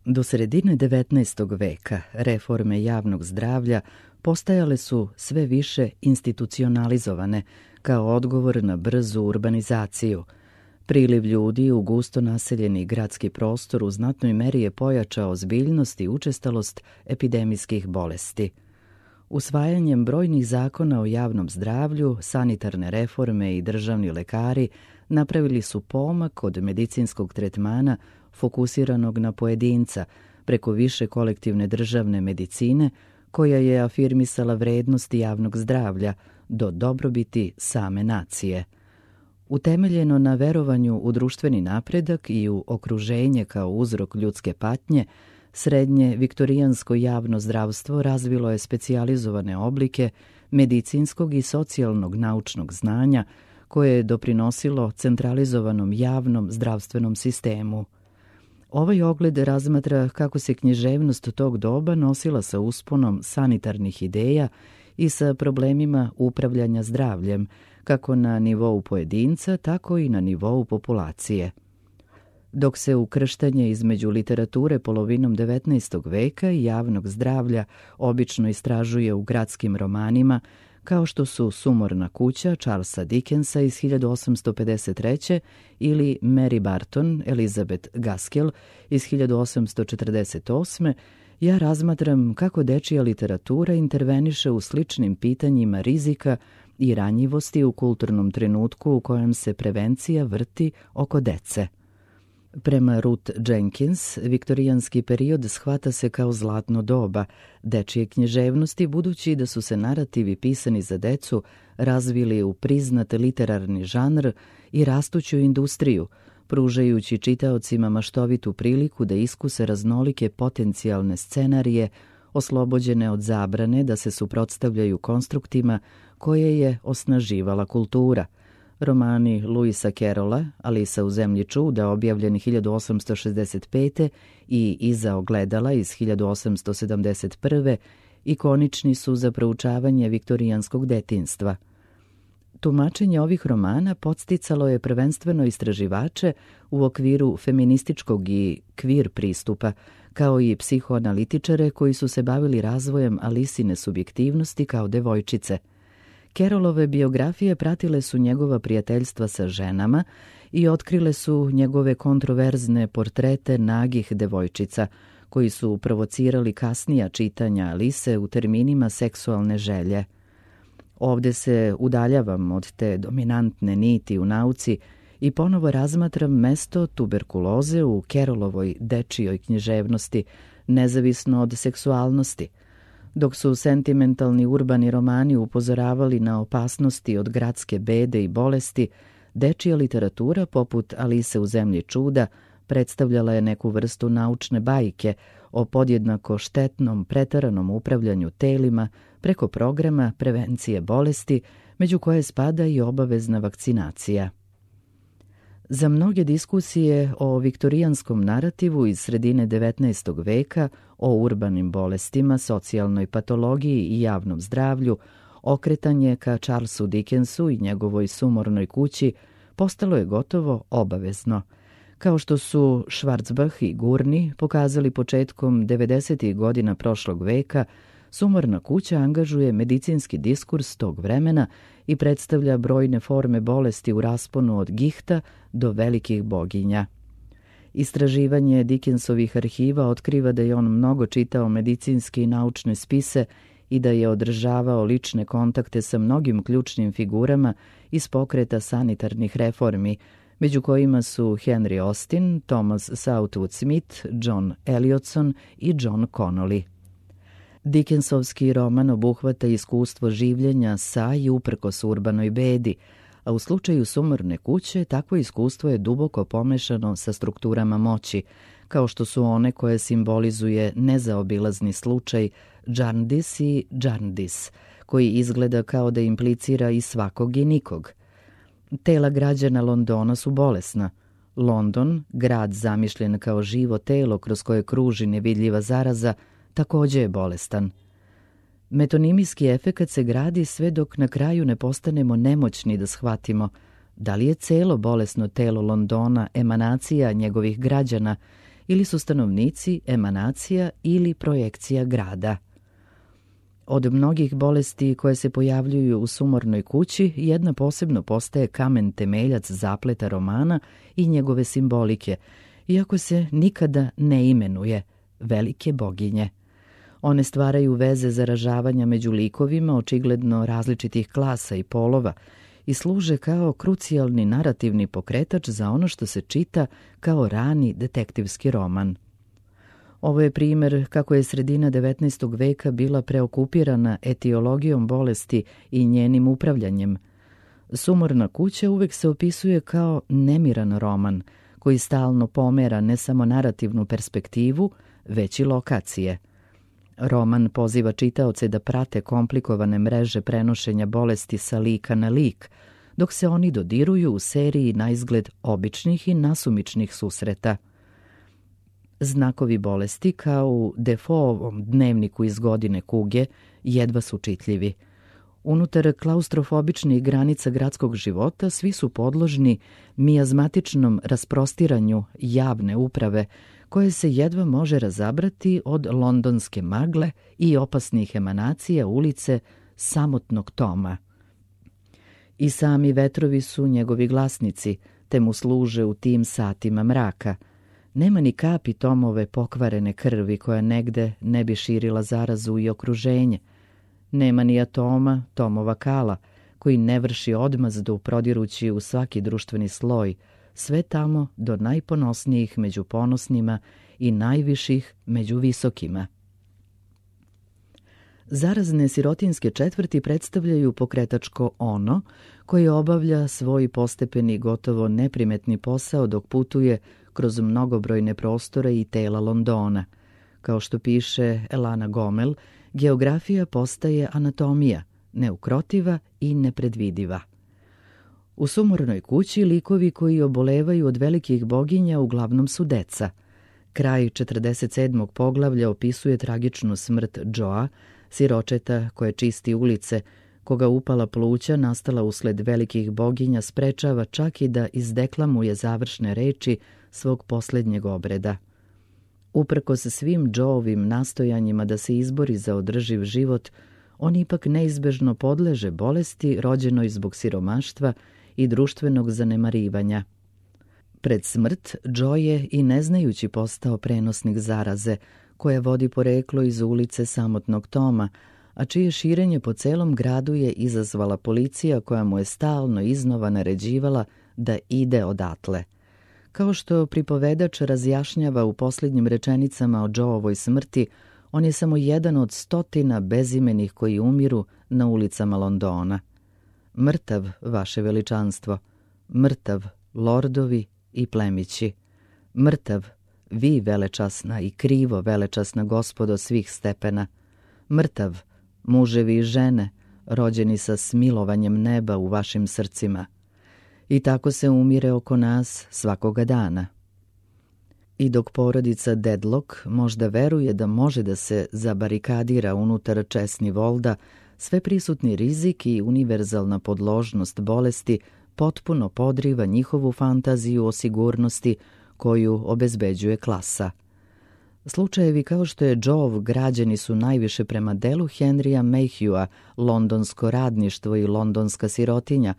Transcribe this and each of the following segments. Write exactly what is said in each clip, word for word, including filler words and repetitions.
Do sredine devetnaestog veka reforme javnog zdravlja postajale su sve više institucionalizovane kao odgovor na brzu urbanizaciju. Priliv ljudi u gusto naseljeni gradski prostor u znatnoj meri je pojačao ozbiljnost i učestalost epidemijskih bolesti. Usvajanjem brojnih zakona o javnom zdravlju, sanitarne reforme i državni lekari napravili su pomak od medicinskog tretmana fokusiranog na pojedinca preko više kolektivne državne medicine koja je afirmisala vrednosti javnog zdravlja do dobrobiti same nacije. Utemeljeno na verovanju u društveni napredak i u okruženje kao uzrok ljudske patnje, srednje viktorijansko javno zdravstvo razvilo je specijalizovane oblike medicinskog i socijalnog naučnog znanja koje je doprinosilo centralizovanom javnom zdravstvenom sistemu. Ovaj ogled razmatra kako se književnost tog doba nosila sa usponom sanitarnih ideja i sa problemima upravljanja zdravljem, kako na nivou pojedinca, tako i na nivou populacije. Dok se ukrštanje između literature polovinom devetnaestog veka i javnog zdravlja obično istražuje u gradskim romanima, kao što su Sumorna kuća Charlesa Dickensa iz hiljadu osamsto pedeset treće ili Mary Barton, Elizabeth Gaskell iz hiljadu osamsto četrdeset osme, ja razmatram kako dečija literatura interveniše u sličnim pitanjima rizika i ranjivosti u kulturnom trenutku u kojem se prevencija vrti oko dece. Prema Ruth Jenkins, viktorijanski period shvata se kao zlatno doba dečije književnosti, budući da su se narativi pisani za decu razvili u priznat literarni žanr i rastuću industriju, pružajući čitaocima maštovitu priliku da iskuse raznolike potencijalne scenarije, oslobođene od zabrane da se suprotstavljaju konstruktima koje je osnaživala kultura. Romani Lewisa Carrolla, Alisa u zemlji čuda, objavljeni hiljadu osamsto šezdeset pete i Iza ogledala iz hiljadu osamsto sedamdeset prve, ikonični su za proučavanje viktorijanskog detinjstva. Tumačenje ovih romana podsticalo je prvenstveno istraživače u okviru feminističkog i kvir pristupa, kao i psihoanalitičare koji su se bavili razvojem Alisine subjektivnosti kao devojčice. Carrollove biografije pratile su njegova prijateljstva sa ženama i otkrile su njegove kontroverzne portrete nagih devojčica, koji su provocirali kasnija čitanja Alise u terminima seksualne želje. Ovde se udaljavam od te dominantne niti u nauci i ponovo razmatram mesto tuberkuloze u Carrollovoj dečijoj književnosti, nezavisno od seksualnosti. Dok su sentimentalni urbani romani upozoravali na opasnosti od gradske bede i bolesti, dečija literatura, poput Alise u zemlji čuda, predstavljala je neku vrstu naučne bajke o podjednako štetnom, preteranom upravljanju telima preko programa prevencije bolesti, među koje spada i obavezna vakcinacija. Za mnoge diskusije o viktorijanskom narativu iz sredine devetnaestog veka, o urbanim bolestima, socijalnoj patologiji i javnom zdravlju, okretanje ka Charlesu Dickensu i njegovoj Sumornoj kući postalo je gotovo obavezno. Kao što su Schwarzbach i Gurney pokazali početkom devedesetih godina prošlog veka, Sumorna kuća angažuje medicinski diskurs tog vremena i predstavlja brojne forme bolesti u rasponu od gihta do velikih boginja. Istraživanje Dickensovih arhiva otkriva da je on mnogo čitao medicinske i naučne spise i da je održavao lične kontakte sa mnogim ključnim figurama iz pokreta sanitarnih reformi, među kojima su Henry Austin, Thomas Southwood Smith, John Eliotson i John Connolly. Dickensovski roman obuhvata iskustvo življenja sa i uprkos urbanoj bedi, a u slučaju Sumorne kuće takvo iskustvo je duboko pomešano sa strukturama moći, kao što su one koje simbolizuje nezaobilazni slučaj Jarndyce i Jarndyce, koji izgleda kao da implicira i svakog i nikog. Tela građana Londona su bolesna. London, grad zamišljen kao živo telo kroz koje kruži nevidljiva zaraza, takođe je bolestan. Metonimijski efekat se gradi sve dok na kraju ne postanemo nemoćni da shvatimo da li je celo bolesno telo Londona emanacija njegovih građana ili su stanovnici emanacija ili projekcija grada. Od mnogih bolesti koje se pojavljuju u sumornoj kući, jedna posebno postaje kamen temeljac zapleta romana i njegove simbolike, iako se nikada ne imenuje velike boginje. One stvaraju veze zaražavanja među likovima očigledno različitih klasa i polova i služe kao krucijalni narativni pokretač za ono što se čita kao rani detektivski roman. Ovo je primer kako je sredina devetnaestog veka bila preokupirana etiologijom bolesti i njenim upravljanjem. Sumorna kuća uvek se opisuje kao nemiran roman, koji stalno pomera ne samo narativnu perspektivu, već i lokacije. Roman poziva čitaoce da prate komplikovane mreže prenošenja bolesti sa lika na lik, dok se oni dodiruju u seriji naizgled običnih i nasumičnih susreta. Znakovi bolesti, kao u Defoeovom dnevniku iz godine kuge, jedva su čitljivi. Unutar klaustrofobičnih granica gradskog života svi su podložni mijazmatičnom rasprostiranju javne uprave, koje se jedva može razabrati od londonske magle i opasnih emanacija ulice samotnog Toma. I sami vetrovi su njegovi glasnici, te mu služe u tim satima mraka. Nema ni kapi Tomove pokvarene krvi koja negde ne bi širila zarazu i okruženje. Nema ni atoma Tomova kala, koji ne vrši odmazdu prodirući u svaki društveni sloj, sve tamo do najponosnijih među ponosnima i najviših među visokima. Zarazne sirotinske četvrti predstavljaju pokretačko ono koje obavlja svoj postepeni gotovo neprimetni posao dok putuje kroz mnogobrojne prostore i tela Londona. Kao što piše Elana Gomel, geografija postaje anatomija, neukrotiva i nepredvidiva. U sumornoj kući likovi koji obolevaju od velikih boginja uglavnom su deca. Kraj četrdeset sedmog poglavlja opisuje tragičnu smrt Joea, siročeta koje čisti ulice, koga upala pluća nastala usled velikih boginja sprečava čak i da izdeklamuje završne reči svog posljednjeg obreda. Uprkos svim Joeovim nastojanjima da se izbori za održiv život, on ipak neizbežno podleže bolesti rođenoj zbog siromaštva i društvenog zanemarivanja. Pred smrt Joe je i neznajući postao prenosnik zaraze, koja vodi poreklo iz ulice samotnog Toma, a čije širenje po celom gradu je izazvala policija koja mu je stalno iznova naređivala da ide odatle. Kao što pripovedač razjašnjava u posljednjim rečenicama o Joeovoj smrti, on je samo jedan od stotina bezimenih koji umiru na ulicama Londona. Mrtav, vaše veličanstvo, mrtav, lordovi i plemići, mrtav, vi velečasna i krivo velečasna gospodo svih stepena, mrtav, muževi i žene, rođeni sa smilovanjem neba u vašim srcima. I tako se umire oko nas svakoga dana. I dok porodica Dedlock možda veruje da može da se zabarikadira unutar česni volda, sveprisutni rizik i univerzalna podložnost bolesti potpuno podriva njihovu fantaziju o sigurnosti koju obezbeđuje klasa. Slučajevi kao što je Joeov građeni su najviše prema delu Henrya Mayhewa, londonsko radništvo i londonska sirotinja,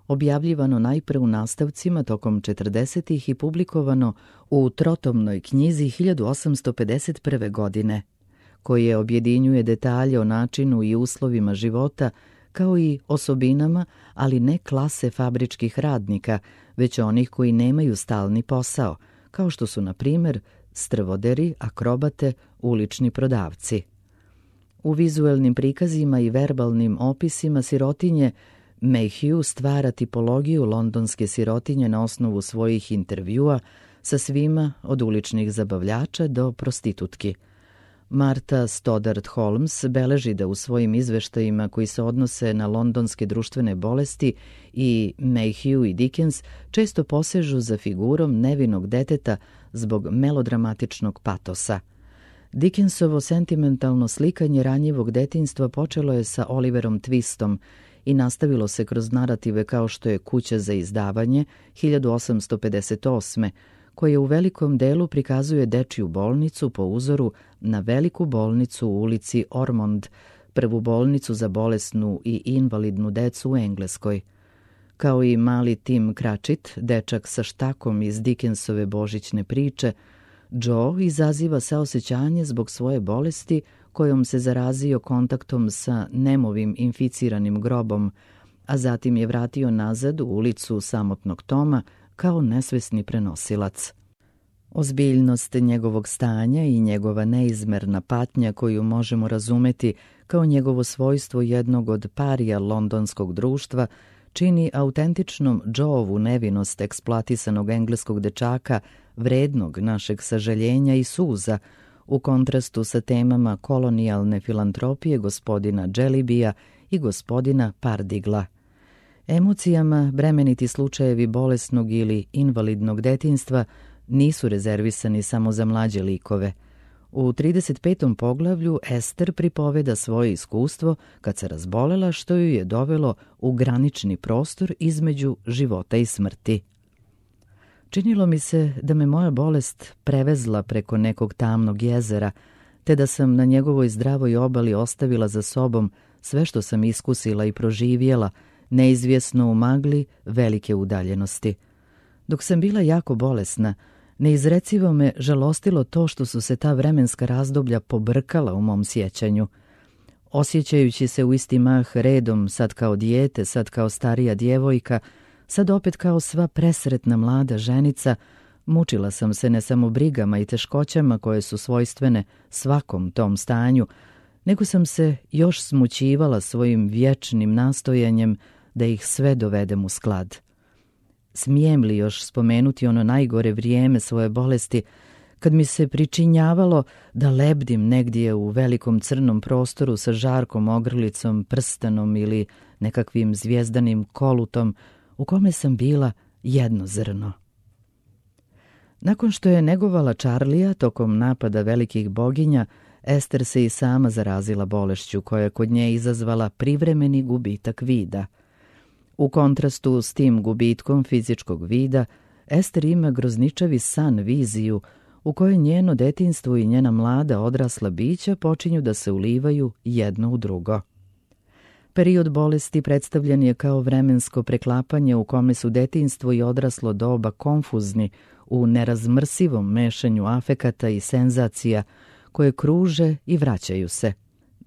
objavljivano najpre u nastavcima tokom četrdesetih i publikovano u trotomnoj knjizi hiljadu osamsto pedeset prve. godine, koje objedinjuje detalje o načinu i uslovima života, kao i osobinama, ali ne klase fabričkih radnika, već onih koji nemaju stalni posao, kao što su, na primjer, strvoderi, akrobate, ulični prodavci. U vizuelnim prikazima i verbalnim opisima sirotinje Mayhew stvara tipologiju londonske sirotinje na osnovu svojih intervjua sa svima od uličnih zabavljača do prostitutki. Martha Stoddart Holmes beleži da u svojim izveštajima koji se odnose na londonske društvene bolesti i Mayhew i Dickens često posežu za figurom nevinog deteta zbog melodramatičnog patosa. Dickensovo sentimentalno slikanje ranjivog detinjstva počelo je sa Oliverom Twistom i nastavilo se kroz narative kao što je Kuća za izdavanje hiljadu osamsto pedeset osme. koje u velikom delu prikazuje dečiju bolnicu po uzoru na veliku bolnicu u ulici Ormond, prvu bolnicu za bolesnu i invalidnu decu u Engleskoj. Kao i mali Tim Cratchit, dečak sa štakom iz Dickensove božićne priče, Joe izaziva saosećanje zbog svoje bolesti kojom se zarazio kontaktom sa Nemovim inficiranim grobom, a zatim je vratio nazad u ulicu samotnog Toma kao nesvesni prenosilac. Ozbiljnost njegovog stanja i njegova neizmerna patnja koju možemo razumeti kao njegovo svojstvo jednog od parija londonskog društva čini autentičnom Joeovu nevinost eksploatisanog engleskog dečaka vrednog našeg sažaljenja i suza u kontrastu sa temama kolonijalne filantropije gospodina Jellybya i gospodina Pardigla. Emocijama bremeniti slučajevi bolesnog ili invalidnog detinjstva nisu rezervisani samo za mlađe likove. U trideset petom poglavlju Ester pripoveda svoje iskustvo kad se razbolela što ju je dovelo u granični prostor između života i smrti. Činilo mi se da me moja bolest prevezla preko nekog tamnog jezera, te da sam na njegovoj zdravoj obali ostavila za sobom sve što sam iskusila i proživjela, neizvjesno u magli velike udaljenosti. Dok sam bila jako bolesna, neizrecivo me žalostilo to što su se ta vremenska razdoblja pobrkala u mom sjećanju. Osjećajući se u isti mah redom, sad kao dijete, sad kao starija djevojka, sad opet kao sva presretna mlada ženica, mučila sam se ne samo brigama i teškoćama koje su svojstvene svakom tom stanju, nego sam se još smućivala svojim vječnim nastojanjem da ih sve dovedem u sklad. Smijem li još spomenuti ono najgore vrijeme svoje bolesti, kad mi se pričinjavalo da lebdim negdje u velikom crnom prostoru sa žarkom ogrlicom, prstanom ili nekakvim zvijezdanim kolutom, u kome sam bila jedno zrno. Nakon što je negovala Charlija tokom napada velikih boginja, Ester se i sama zarazila bolešću koja je kod nje izazvala privremeni gubitak vida. U kontrastu s tim gubitkom fizičkog vida, Ester ima grozničavi san viziju u kojoj njeno detinjstvo i njena mlada odrasla bića počinju da se ulivaju jedno u drugo. Period bolesti predstavljen je kao vremensko preklapanje u kome su detinjstvo i odraslo doba konfuzni u nerazmrsivom mešanju afekata i senzacija koje kruže i vraćaju se.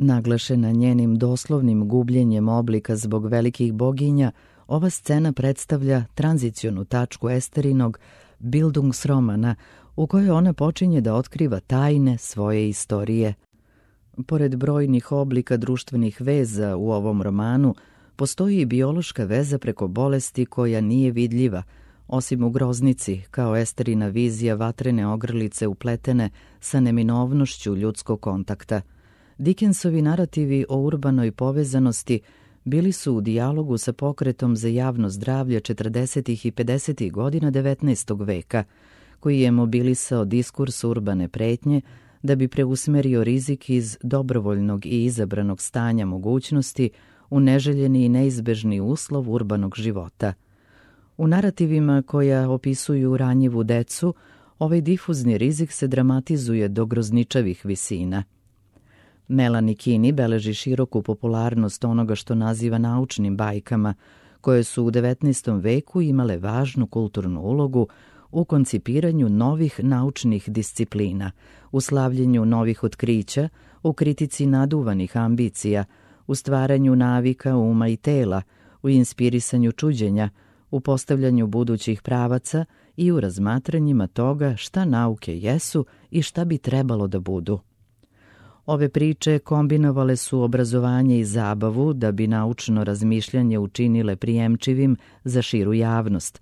Naglašena njenim doslovnim gubljenjem oblika zbog velikih boginja, ova scena predstavlja tranzicionu tačku Esterinog Bildungsromana u kojoj ona počinje da otkriva tajne svoje istorije. Pored brojnih oblika društvenih veza u ovom romanu, postoji i biološka veza preko bolesti koja nije vidljiva, osim u groznici, kao Esterina vizija vatrene ogrlice upletene sa neminovnošću ljudskog kontakta. Dickensovi narativi o urbanoj povezanosti bili su u dijalogu sa pokretom za javno zdravlje četrdesetih i pedesetih godina devetnaestog veka, koji je mobilisao diskurs urbane pretnje da bi preusmerio rizik iz dobrovoljnog i izabranog stanja mogućnosti u neželjeni i neizbežni uslov urbanog života. U narativima koja opisuju ranjivu decu, ovaj difuzni rizik se dramatizuje do grozničavih visina. Melanie Kinney beleži široku popularnost onoga što naziva naučnim bajkama, koje su u devetnaestom veku imale važnu kulturnu ulogu u koncipiranju novih naučnih disciplina, u slavljenju novih otkrića, u kritici naduvanih ambicija, u stvaranju navika uma i tela, u inspirisanju čuđenja, u postavljanju budućih pravaca i u razmatranjima toga šta nauke jesu i šta bi trebalo da budu. Ove priče kombinovale su obrazovanje i zabavu da bi naučno razmišljanje učinile prijemčivim za širu javnost.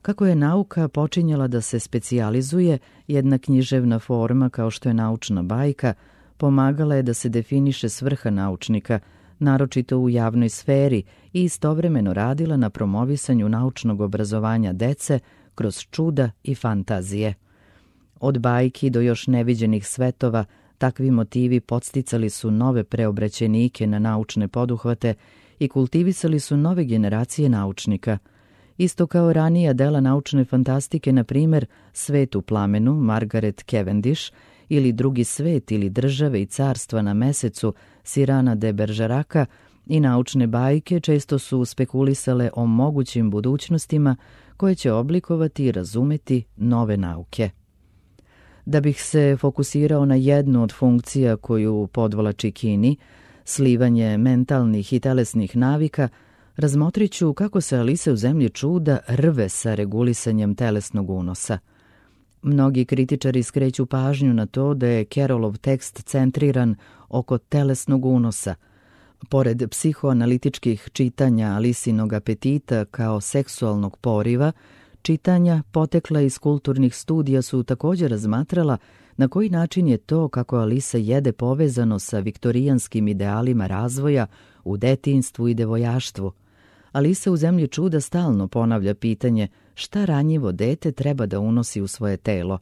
Kako je nauka počinjala da se specijalizuje, jedna književna forma kao što je naučna bajka pomagala je da se definiše svrha naučnika, naročito u javnoj sferi, i istovremeno radila na promovisanju naučnog obrazovanja dece kroz čuda i fantazije. Od bajki do još neviđenih svetova, takvi motivi podsticali su nove preobraćenike na naučne poduhvate i kultivisali su nove generacije naučnika. Isto kao ranija dela naučne fantastike, na primjer Svet u plamenu, Margaret Cavendish, ili Drugi svet ili Države i carstva na mesecu, Cyrana de Bergerac'a, i naučne bajke često su spekulisale o mogućim budućnostima koje će oblikovati i razumeti nove nauke. Da bih se fokusirao na jednu od funkcija koju podvlači Kini, slivanje mentalnih i telesnih navika, razmotrit ću kako se Alisa u zemlji čuda rve sa regulisanjem telesnog unosa. Mnogi kritičari skreću pažnju na to da je Carrollov tekst centriran oko telesnog unosa. Pored psihoanalitičkih čitanja Alisinog apetita kao seksualnog poriva, čitanja potekla iz kulturnih studija su također razmatrala na koji način je to kako Alisa jede povezano sa viktorijanskim idealima razvoja u detinjstvu i devojaštvu. Alisa u zemlji čuda stalno ponavlja pitanje šta ranjivo dete treba da unosi u svoje telo.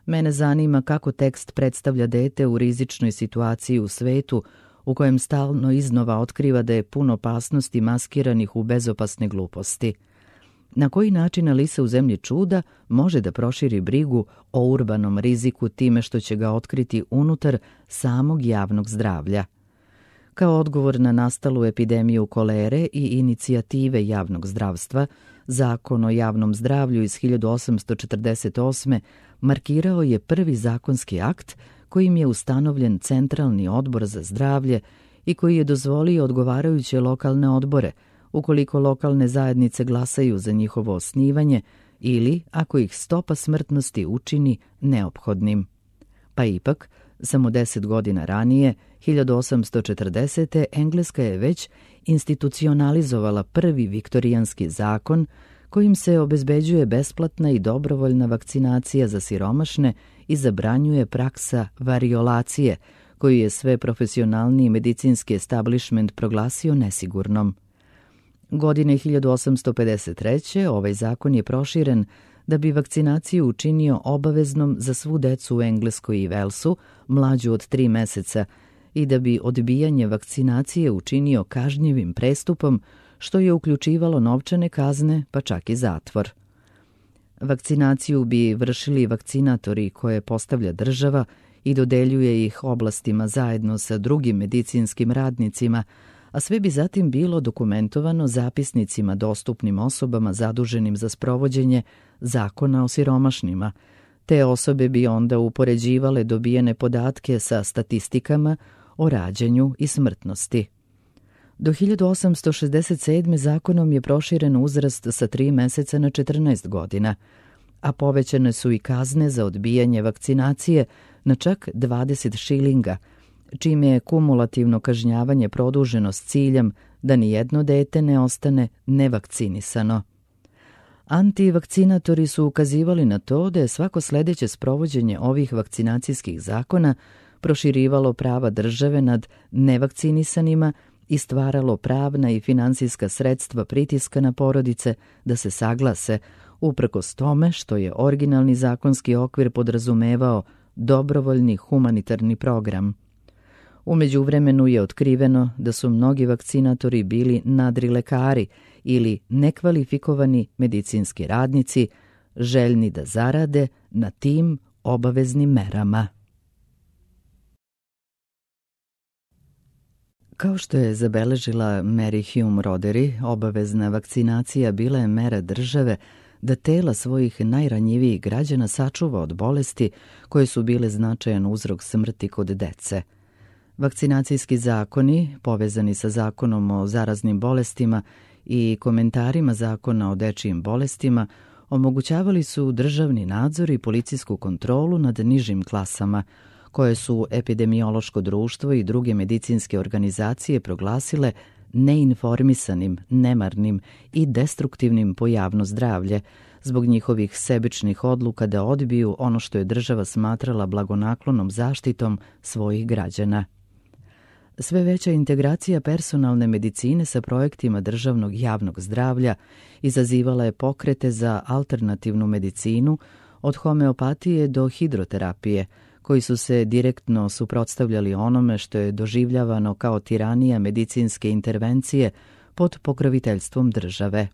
Mene zanima kako tekst predstavlja dete u rizičnoj situaciji u svetu u kojem stalno iznova otkriva da je puno opasnosti maskiranih u bezopasne gluposti. Na koji način Alisa u zemlji čuda može da proširi brigu o urbanom riziku time što će ga otkriti unutar samog javnog zdravlja? Kao odgovor na nastalu epidemiju kolere i inicijative javnog zdravstva, Zakon o javnom zdravlju iz hiljadu osamsto četrdeset osme markirao je prvi zakonski akt kojim je ustanovljen Centralni odbor za zdravlje i koji je dozvolio odgovarajuće lokalne odbore, ukoliko lokalne zajednice glasaju za njihovo osnivanje ili ako ih stopa smrtnosti učini neophodnim. Pa ipak, samo deset godina ranije, hiljadu osamsto četrdesete. Engleska je već institucionalizovala prvi viktorijanski zakon kojim se obezbeđuje besplatna i dobrovoljna vakcinacija za siromašne i zabranjuje praksa variolacije, koju je sve profesionalniji medicinski establishment proglasio nesigurnom. Godine hiljadu osamsto pedeset treće. ovaj zakon je proširen da bi vakcinaciju učinio obaveznom za svu decu u Engleskoj i Velsu, mlađu od tri meseca, i da bi odbijanje vakcinacije učinio kažnjivim prestupom, što je uključivalo novčane kazne, pa čak i zatvor. Vakcinaciju bi vršili vakcinatori koje postavlja država i dodeljuje ih oblastima zajedno sa drugim medicinskim radnicima, a sve bi zatim bilo dokumentovano zapisnicima dostupnim osobama zaduženim za sprovođenje zakona o siromašnima. Te osobe bi onda upoređivale dobijene podatke sa statistikama o rađanju i smrtnosti. Do hiljadu osamsto šezdeset sedme. zakonom je proširen uzrast sa tri meseca na četrnaest godina, a povećane su i kazne za odbijanje vakcinacije na čak dvadeset šilinga, čime je kumulativno kažnjavanje produženo s ciljem da nijedno dete ne ostane nevakcinisano. Antivakcinatori su ukazivali na to da je svako sledeće sprovođenje ovih vakcinacijskih zakona proširivalo prava države nad nevakcinisanima i stvaralo pravna i finansijska sredstva pritiska na porodice da se saglase, uprkos tome što je originalni zakonski okvir podrazumevao dobrovoljni humanitarni program. U međuvremenu je otkriveno da su mnogi vakcinatori bili nadrilekari ili nekvalifikovani medicinski radnici, željni da zarade na tim obaveznim merama. Kao što je zabeležila Mary Hume Rodery, obavezna vakcinacija bila je mera države da tela svojih najranjivijih građana sačuva od bolesti koje su bile značajan uzrok smrti kod dece. Vakcinacijski zakoni, povezani sa zakonom o zaraznim bolestima i komentarima zakona o dečijim bolestima, omogućavali su državni nadzor i policijsku kontrolu nad nižim klasama, koje su epidemiološko društvo i druge medicinske organizacije proglasile neinformisanim, nemarnim i destruktivnim po javno zdravlje, zbog njihovih sebičnih odluka da odbiju ono što je država smatrala blagonaklonom zaštitom svojih građana. Sve veća integracija personalne medicine sa projektima državnog javnog zdravlja izazivala je pokrete za alternativnu medicinu, od homeopatije do hidroterapije, koji su se direktno suprotstavljali onome što je doživljavano kao tiranija medicinske intervencije pod pokroviteljstvom države.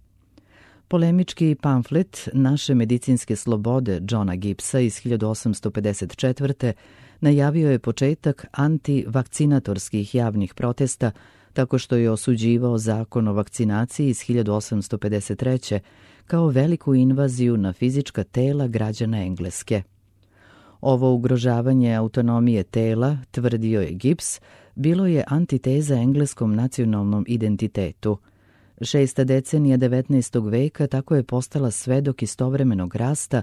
Polemički pamflet Naše medicinske slobode Johna Gibbsa iz hiljadu osamsto pedeset četvrte. najavio je početak antivakcinatorskih javnih protesta tako što je osuđivao zakon o vakcinaciji iz hiljadu osamsto pedeset treće. kao veliku invaziju na fizička tela građana Engleske. Ovo ugrožavanje autonomije tela, tvrdio je Gibbs, bilo je antiteza engleskom nacionalnom identitetu. Šesta decenija devetnaestog veka tako je postala svedok istovremenog rasta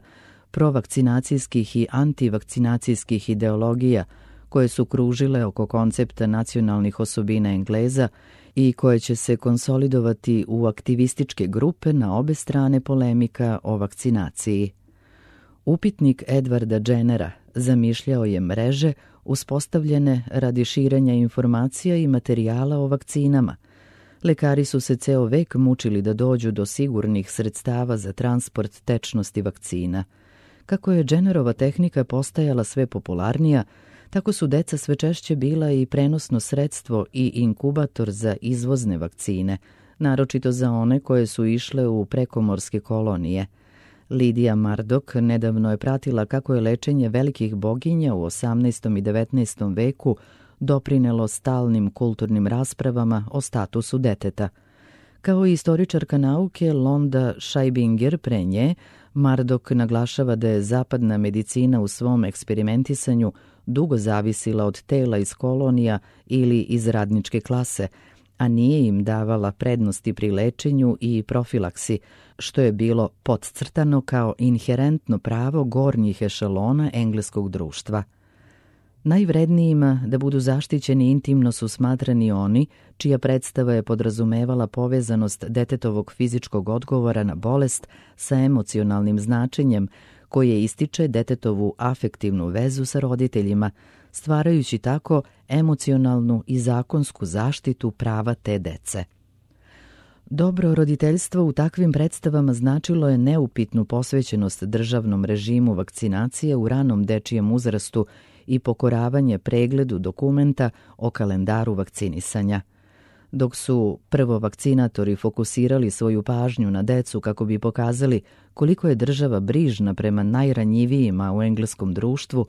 provakcinacijskih i antivakcinacijskih ideologija koje su kružile oko koncepta nacionalnih osobina Engleza i koje će se konsolidovati u aktivističke grupe na obe strane polemika o vakcinaciji. Upitnik Edwarda Jennera zamišljao je mreže uspostavljene radi širenja informacija i materijala o vakcinama. Lekari su se ceo vek mučili da dođu do sigurnih sredstava za transport tečnosti vakcina. Kako je Jennerova tehnika postajala sve popularnija, tako su deca sve češće bila i prenosno sredstvo i inkubator za izvozne vakcine, naročito za one koje su išle u prekomorske kolonije. Lidija Mardok nedavno je pratila kako je lečenje velikih boginja u osamnaestom i devetnaestom veku doprinelo stalnim kulturnim raspravama o statusu deteta. Kao i istoričarka nauke Londa Scheibinger pre nje, Mardok naglašava da je zapadna medicina u svom eksperimentisanju dugo zavisila od tela iz kolonija ili iz radničke klase, a nije im davala prednosti pri lečenju i profilaksi, što je bilo podcrtano kao inherentno pravo gornjih ešalona engleskog društva. Najvrednijima da budu zaštićeni intimno su smatrani oni čija predstava je podrazumevala povezanost detetovog fizičkog odgovora na bolest sa emocionalnim značenjem koje ističe detetovu afektivnu vezu sa roditeljima, stvarajući tako emocionalnu i zakonsku zaštitu prava te dece. Dobro roditeljstvo u takvim predstavama značilo je neupitnu posvećenost državnom režimu vakcinacije u ranom dečijem uzrastu i pokoravanje pregledu dokumenta o kalendaru vakcinisanja. Dok su prvo vakcinatori fokusirali svoju pažnju na decu kako bi pokazali koliko je država brižna prema najranjivijima u engleskom društvu,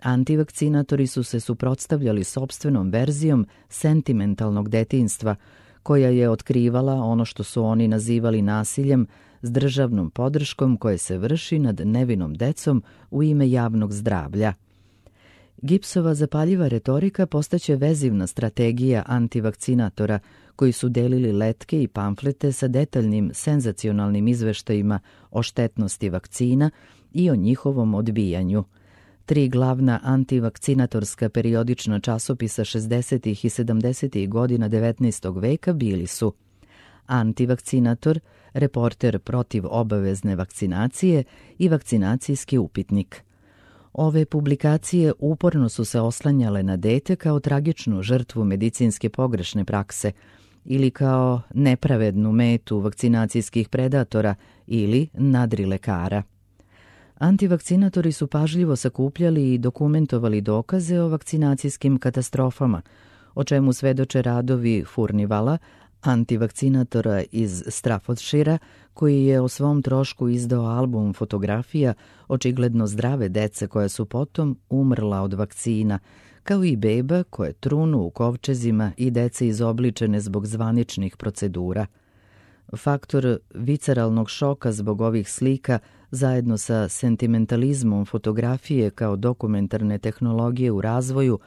antivakcinatori su se suprotstavljali sopstvenom verzijom sentimentalnog detinjstva, koja je otkrivala ono što su oni nazivali nasiljem s državnom podrškom koje se vrši nad nevinom decom u ime javnog zdravlja. Gibbsova zapaljiva retorika postaće vezivna strategija antivakcinatora koji su delili letke i pamflete sa detaljnim senzacionalnim izveštajima o štetnosti vakcina i o njihovom odbijanju. Tri glavna antivakcinatorska periodična časopisa šezdesetih i sedamdesetih godina devetnaestog veka bili su Antivakcinator, Reporter protiv obavezne vakcinacije i Vakcinacijski upitnik. Ove publikacije uporno su se oslanjale na dete kao tragičnu žrtvu medicinske pogrešne prakse ili kao nepravednu metu vakcinacijskih predatora ili nadrilekara. Antivakcinatori su pažljivo sakupljali i dokumentovali dokaze o vakcinacijskim katastrofama, o čemu svedoče radovi Furnivala, antivakcinatora iz Staffordshira, koji je o svom trošku izdao album fotografija očigledno zdrave dece koja su potom umrla od vakcina, kao i beba koje trunu u kovčezima i dece izobličene zbog zvaničnih procedura. Faktor visceralnog šoka zbog ovih slika zajedno sa sentimentalizmom fotografije kao dokumentarne tehnologije u razvoju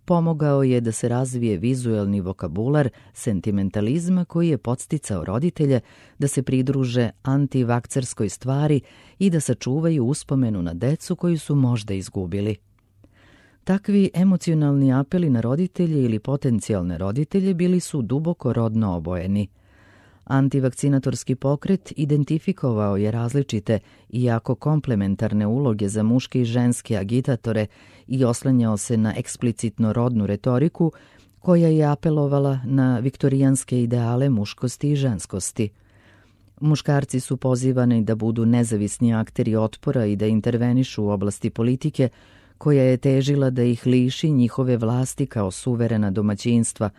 pomogao je da se razvije vizuelni vokabular sentimentalizma koji je podsticao roditelje da se pridruže antivakcerskoj stvari i da sačuvaju uspomenu na decu koju su možda izgubili. Takvi emocionalni apeli na roditelje ili potencijalne roditelje bili su duboko rodno obojeni. Antivakcinatorski pokret identifikovao je različite, iako komplementarne uloge za muške i ženske agitatore i oslanjao se na eksplicitno rodnu retoriku koja je apelovala na viktorijanske ideale muškosti i ženskosti. Muškarci su pozivani da budu nezavisni akteri otpora i da intervenišu u oblasti politike koja je težila da ih liši njihove vlasti kao suverena domaćinstva,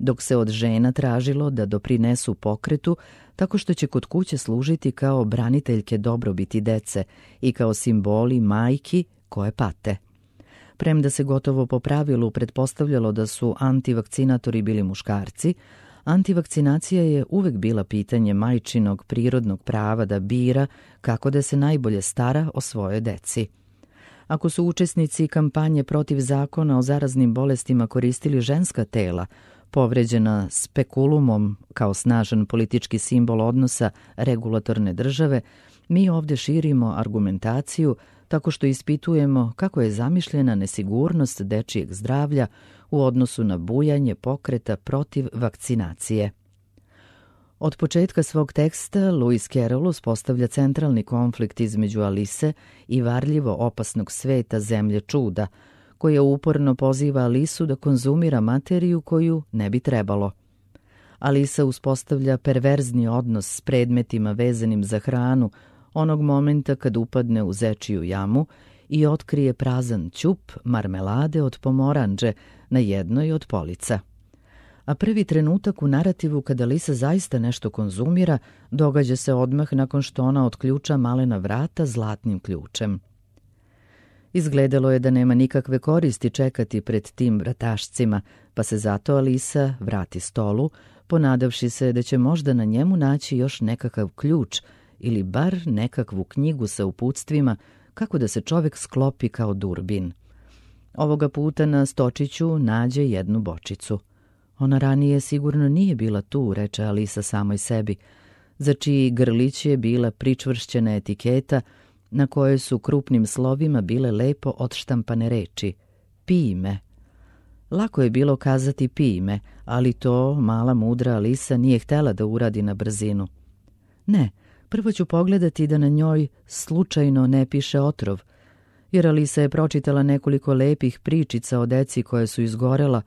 dok se od žena tražilo da doprinesu pokretu tako što će kod kuće služiti kao braniteljke dobrobiti dece i kao simboli majki koje pate. Premda se gotovo po pravilu pretpostavljalo da su antivakcinatori bili muškarci, antivakcinacija je uvek bila pitanje majčinog prirodnog prava da bira kako da se najbolje stara o svojoj deci. Ako su učesnici kampanje protiv zakona o zaraznim bolestima koristili ženska tela, povređena spekulumom kao snažan politički simbol odnosa regulatorne države, mi ovdje širimo argumentaciju tako što ispitujemo kako je zamišljena nesigurnost dečijeg zdravlja u odnosu na bujanje pokreta protiv vakcinacije. Od početka svog teksta Lewis Carroll uspostavlja centralni konflikt između Alise i varljivo opasnog sveta zemlje čuda, koja uporno poziva Alisu da konzumira materiju koju ne bi trebalo. Alisa uspostavlja perverzni odnos s predmetima vezanim za hranu onog momenta kad upadne u zečiju jamu i otkrije prazan ćup marmelade od pomoranđe na jednoj od polica. A prvi trenutak u narativu kada Alisa zaista nešto konzumira događa se odmah nakon što ona otključa malena vrata zlatnim ključem. Izgledalo je da nema nikakve koristi čekati pred tim vratašcima, pa se zato Alisa vrati stolu, ponadavši se da će možda na njemu naći još nekakav ključ ili bar nekakvu knjigu sa uputstvima kako da se čovek sklopi kao durbin. Ovoga puta na stočiću nađe jednu bočicu. Ona ranije sigurno nije bila tu, reče Alisa samoj sebi, za čiji grlić je bila pričvršćena etiketa na kojoj su krupnim slovima bile lepo odštampane reči „Pij me“. Lako je bilo kazati „pij me“, ali to mala mudra Alisa nije htela da uradi na brzinu. Ne, prvo ću pogledati da na njoj slučajno ne piše otrov, jer Alisa je pročitala nekoliko lepih pričica o deci koje su izgorela,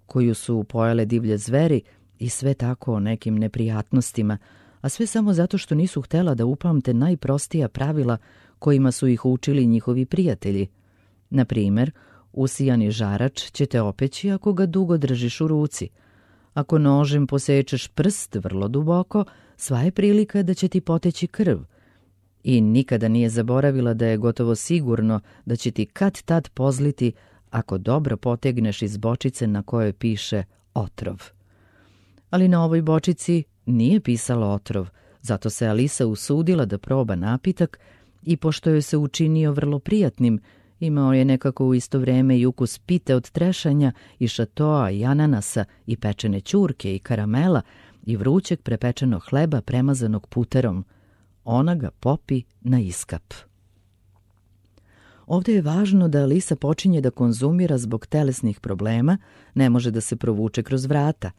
koju su pojele divlje zveri i sve tako o nekim neprijatnostima, a sve samo zato što nisu htela da upamte najprostija pravila kojima su ih učili njihovi prijatelji. Na primer, usijani žarač će te opeći ako ga dugo držiš u ruci. Ako nožem posečeš prst vrlo duboko, sva je prilika da će ti poteći krv. I nikada nije zaboravila da je gotovo sigurno da će ti kad tad pozliti ako dobro potegneš iz bočice na kojoj piše otrov. Ali na ovoj bočici nije pisalo otrov, zato se Alisa usudila da proba napitak i pošto joj se učinio vrlo prijatnim, imao je nekako u isto vreme i ukus pite od trešanja i šatoa i ananasa i pečene ćurke i karamela i vrućeg prepečenog hleba premazanog puterom. Ona ga popi na iskap. Ovdje je važno da Alisa počinje da konzumira zbog telesnih problema, ne može da se provuče kroz vrata.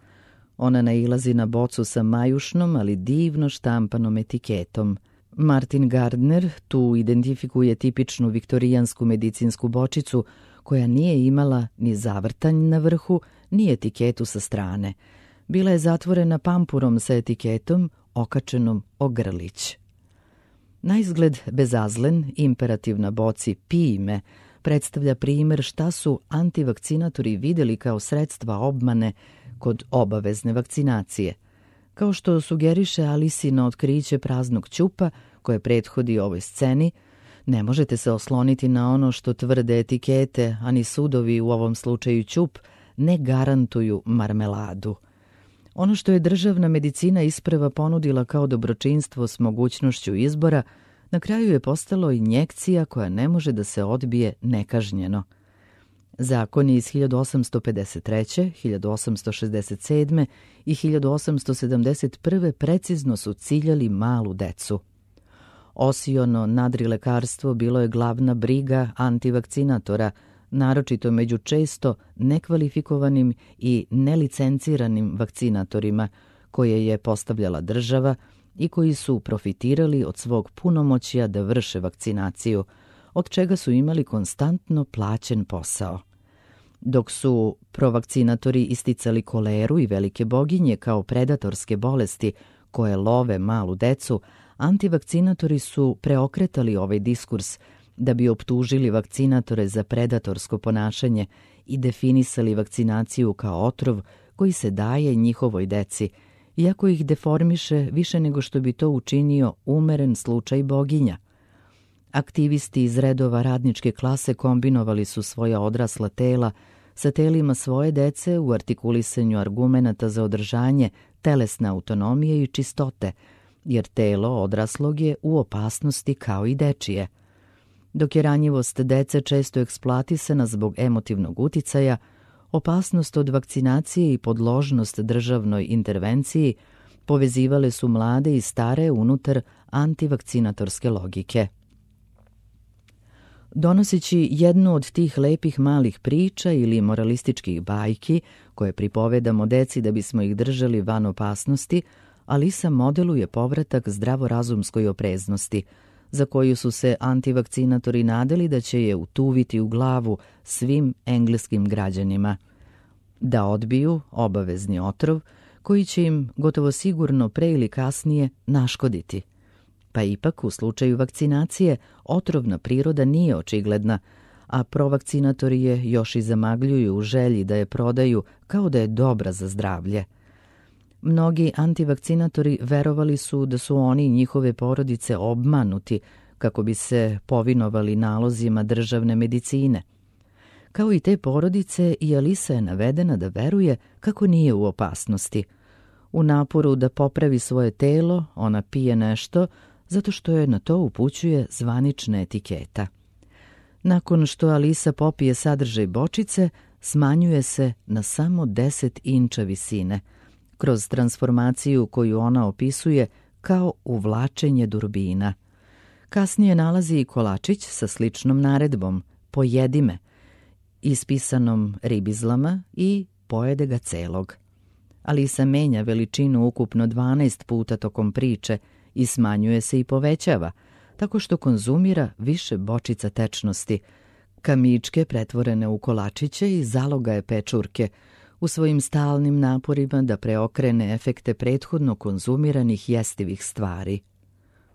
Ona nailazi na bocu sa majušnom, ali divno štampanom etiketom. Martin Gardner tu identifikuje tipičnu viktorijansku medicinsku bočicu koja nije imala ni zavrtanj na vrhu, ni etiketu sa strane. Bila je zatvorena pampurom sa etiketom okačenom o grlić. Naizgled bezazlen imperativ na boci „pij me“ predstavlja primer šta su antivakcinatori videli kao sredstva obmane kod obavezne vakcinacije. Kao što sugeriše Alisino otkriće praznog ćupa koje prethodi ovoj sceni, ne možete se osloniti na ono što tvrde etikete, a ni sudovi, u ovom slučaju ćup, ne garantuju marmeladu. Ono što je državna medicina isprva ponudila kao dobročinstvo s mogućnošću izbora, na kraju je postalo injekcija koja ne može da se odbije nekažnjeno. Zakoni iz hiljadu osamsto pedeset treće, hiljadu osamsto šezdeset sedme i hiljadu osamsto sedamdeset prve precizno su ciljali malu decu. Osiono nadrilekarstvo bilo je glavna briga antivakcinatora, naročito među često nekvalifikovanim i nelicenciranim vakcinatorima, koje je postavljala država i koji su profitirali od svog punomoćja da vrše vakcinaciju, od čega su imali konstantno plaćen posao. Dok su provakcinatori isticali koleru i velike boginje kao predatorske bolesti koje love malu decu, antivakcinatori su preokretali ovaj diskurs da bi optužili vakcinatore za predatorsko ponašanje i definisali vakcinaciju kao otrov koji se daje njihovoj deci, iako ih deformiše više nego što bi to učinio umeren slučaj boginja. Aktivisti iz redova radničke klase kombinovali su svoja odrasla tela sa telima svoje dece u artikulisanju argumenata za održanje telesne autonomije i čistote, jer telo odraslog je u opasnosti kao i dečije. Dok je ranjivost dece često eksploatisana zbog emotivnog uticaja, opasnost od vakcinacije i podložnost državnoj intervenciji povezivale su mlade i stare unutar antivakcinatorske logike. Donoseći jednu od tih lepih malih priča ili moralističkih bajki koje pripovedamo deci da bismo ih držali van opasnosti, Alisa modeluje povratak zdravorazumskoj opreznosti, za koju su se antivakcinatori nadali da će je utuviti u glavu svim engleskim građanima. Da odbiju obavezni otrov koji će im gotovo sigurno pre ili kasnije naškoditi. Pa ipak u slučaju vakcinacije otrovna priroda nije očigledna, a provakcinatori je još i zamagljuju u želji da je prodaju kao da je dobra za zdravlje. Mnogi antivakcinatori verovali su da su oni i njihove porodice obmanuti kako bi se povinovali nalozima državne medicine. Kao i te porodice, i Alisa je navedena da veruje kako nije u opasnosti. U naporu da popravi svoje telo, ona pije nešto zato što je na to upućuje zvanična etiketa. Nakon što Alisa popije sadržaj bočice, smanjuje se na samo deset inča visine, kroz transformaciju koju ona opisuje kao uvlačenje durbina. Kasnije nalazi i kolačić sa sličnom naredbom, pojedi me, ispisanom ribizlama i pojede ga celog. Alisa menja veličinu ukupno dvanaest puta tokom priče i smanjuje se i povećava, tako što konzumira više bočica tečnosti, kamičke pretvorene u kolačiće i zalogaje pečurke, u svojim stalnim naporima da preokrene efekte prethodno konzumiranih jestivih stvari.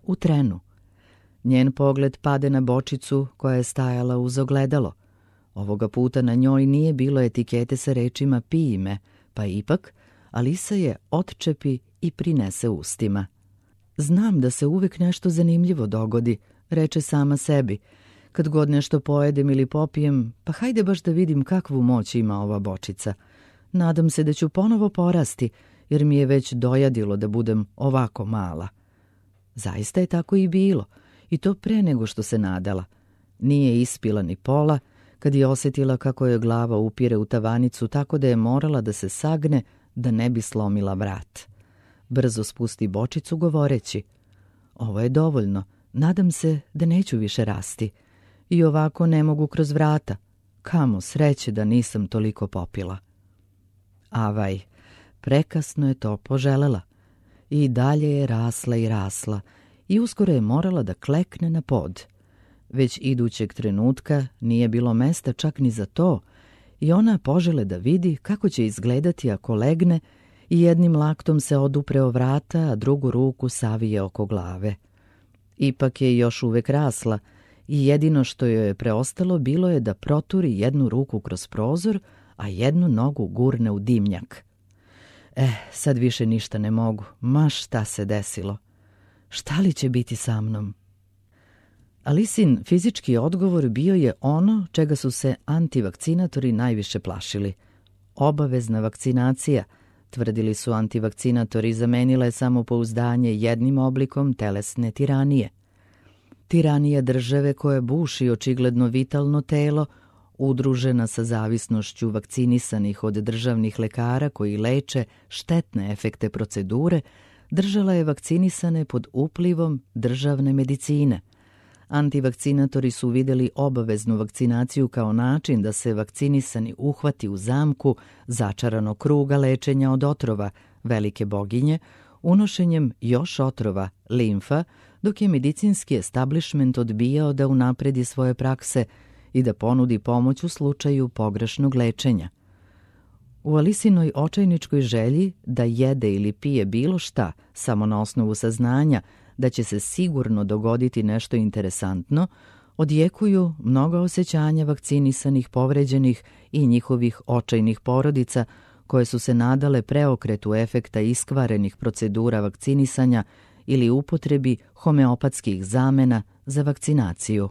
U trenu. Njen pogled pade na bočicu koja je stajala uz ogledalo. Ovoga puta na njoj nije bilo etikete sa rečima pij me, pa ipak Alisa je otčepi i prinese ustima. Znam da se uvek nešto zanimljivo dogodi, reče sama sebi. Kad god nešto pojedem ili popijem, pa hajde baš da vidim kakvu moć ima ova bočica. Nadam se da ću ponovo porasti, jer mi je već dojadilo da budem ovako mala. Zaista je tako i bilo, i to pre nego što se nadala. Nije ispila ni pola, kad je osjetila kako je glava upire u tavanicu tako da je morala da se sagne da ne bi slomila vrat. Brzo spusti bočicu govoreći, ovo je dovoljno, nadam se da neću više rasti. I ovako ne mogu kroz vrata. Kamo sreće da nisam toliko popila. Avaj, prekasno je to poželela. I dalje je rasla i rasla i uskoro je morala da klekne na pod. Već idućeg trenutka nije bilo mesta čak ni za to i ona požele da vidi kako će izgledati ako legne i jednim laktom se odupre o vrata, a drugu ruku savije oko glave. Ipak je još uvek rasla i jedino što joj je preostalo bilo je da proturi jednu ruku kroz prozor, a jednu nogu gurne u dimnjak. Eh, sad više ništa ne mogu, ma šta se desilo. Šta li će biti sa mnom? Alisin fizički odgovor bio je ono čega su se antivakcinatori najviše plašili. Obavezna vakcinacija, tvrdili su antivakcinatori, zamenila je samopouzdanje jednim oblikom telesne tiranije. Tiranija države koja buši očigledno vitalno telo, udružena sa zavisnošću vakcinisanih od državnih lekara koji leče štetne efekte procedure, držala je vakcinisane pod uplivom državne medicine. Antivakcinatori su videli obaveznu vakcinaciju kao način da se vakcinisani uhvati u zamku začaranog kruga lečenja od otrova, velike boginje, unošenjem još otrova, limfa, dok je medicinski establishment odbijao da unapredi svoje prakse i da ponudi pomoć u slučaju pogrešnog lečenja. U Alisinoj očajničkoj želji da jede ili pije bilo šta samo na osnovu saznanja da će se sigurno dogoditi nešto interesantno, odjekuju mnoga osjećanja vakcinisanih, povređenih i njihovih očajnih porodica koje su se nadale preokretu efekta iskvarenih procedura vakcinisanja ili upotrebi homeopatskih zamena za vakcinaciju.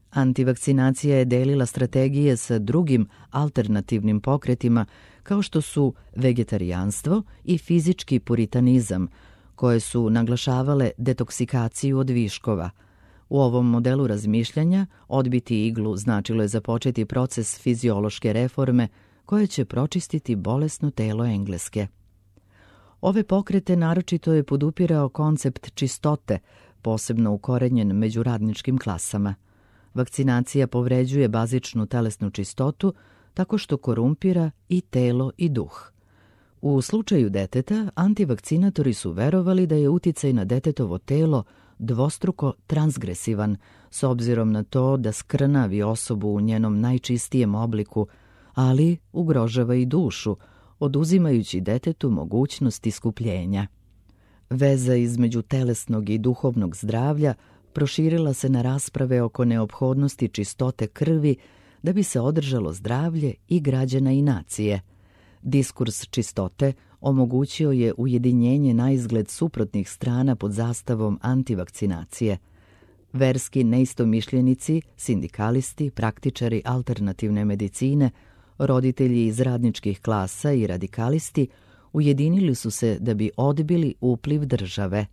Antivakcinacija je delila strategije sa drugim alternativnim pokretima kao što su vegetarijanstvo i fizički puritanizam, koje su naglašavale detoksikaciju od viškova. U ovom modelu razmišljanja odbiti iglu značilo je započeti proces fiziološke reforme koje će pročistiti bolesno telo Engleske. Ove pokrete naročito je podupirao koncept čistote, posebno ukorenjen među radničkim klasama. Vakcinacija povređuje bazičnu telesnu čistotu tako što korumpira i telo i duh. U slučaju deteta, antivakcinatori su verovali da je uticaj na detetovo telo dvostruko transgresivan, s obzirom na to da skrnavi osobu u njenom najčistijem obliku, ali ugrožava i dušu, oduzimajući detetu mogućnost iskupljenja. Veza između telesnog i duhovnog zdravlja proširila se na rasprave oko neophodnosti čistote krvi da bi se održalo zdravlje i građana i nacije. Diskurs čistote omogućio je ujedinjenje na izgled suprotnih strana pod zastavom antivakcinacije. Verski neistomišljenici, sindikalisti, praktičari alternativne medicine, roditelji iz radničkih klasa i radikalisti ujedinili su se da bi odbili upliv države.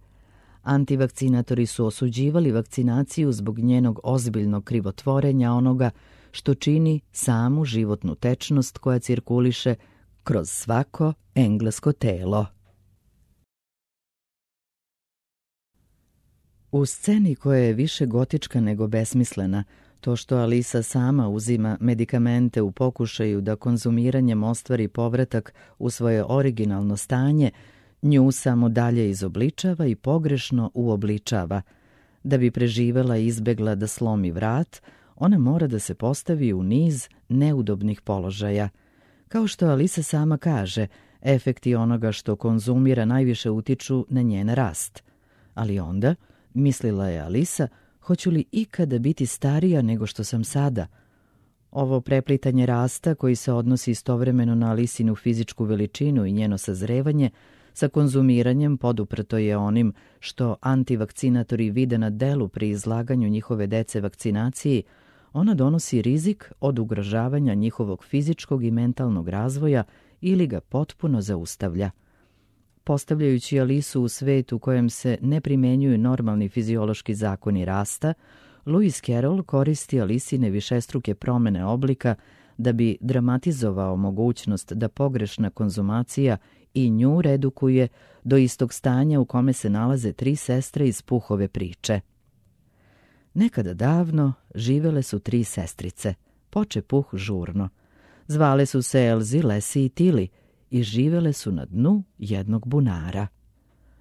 Antivakcinatori su osuđivali vakcinaciju zbog njenog ozbiljnog krivotvorenja onoga što čini samu životnu tečnost koja cirkuliše kroz svako englesko telo. U sceni koja je više gotička nego besmislena, to što Alisa sama uzima medikamente u pokušaju da konzumiranjem ostvari povratak u svoje originalno stanje, nju samo dalje izobličava i pogrešno uobličava. Da bi preživela i izbegla da slomi vrat, ona mora da se postavi u niz neudobnih položaja. Kao što Alisa sama kaže, efekti onoga što konzumira najviše utiču na njen rast. Ali onda, mislila je Alisa, hoću li ikada biti starija nego što sam sada? Ovo preplitanje rasta, koji se odnosi istovremeno na Alisinu fizičku veličinu i njeno sazrevanje, sa konzumiranjem poduprto je onim što antivakcinatori vide na delu pri izlaganju njihove dece vakcinaciji, ona donosi rizik od ugrožavanja njihovog fizičkog i mentalnog razvoja ili ga potpuno zaustavlja. Postavljajući Alisu u svet u kojem se ne primenjuju normalni fiziološki zakoni rasta, Lewis Carroll koristi Alisine višestruke promene oblika da bi dramatizovao mogućnost da pogrešna konzumacija i nju redukuje do istog stanja u kome se nalaze tri sestre iz Puhove priče. Nekada davno živele su tri sestrice, poče Puh žurno. Zvale su se Elzi, Lesi i Tili i živele su na dnu jednog bunara.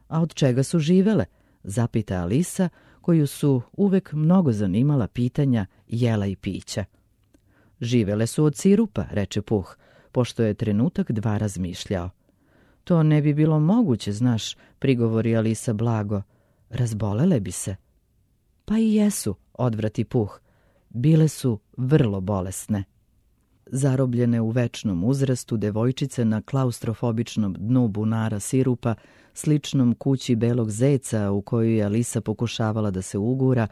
A od čega su živele? Zapita Alisa, koju su uvek mnogo zanimala pitanja jela i pića. Živele su od sirupa, reče Puh, pošto je trenutak dva razmišljao. To ne bi bilo moguće, znaš, prigovori Alisa blago. Razbolele bi se. Pa i jesu, odvrati Puh. Bile su vrlo bolesne. Zarobljene u večnom uzrastu, devojčice na klaustrofobičnom dnu bunara sirupa, sličnom kući belog zeca u koju je Alisa pokušavala da se ugura,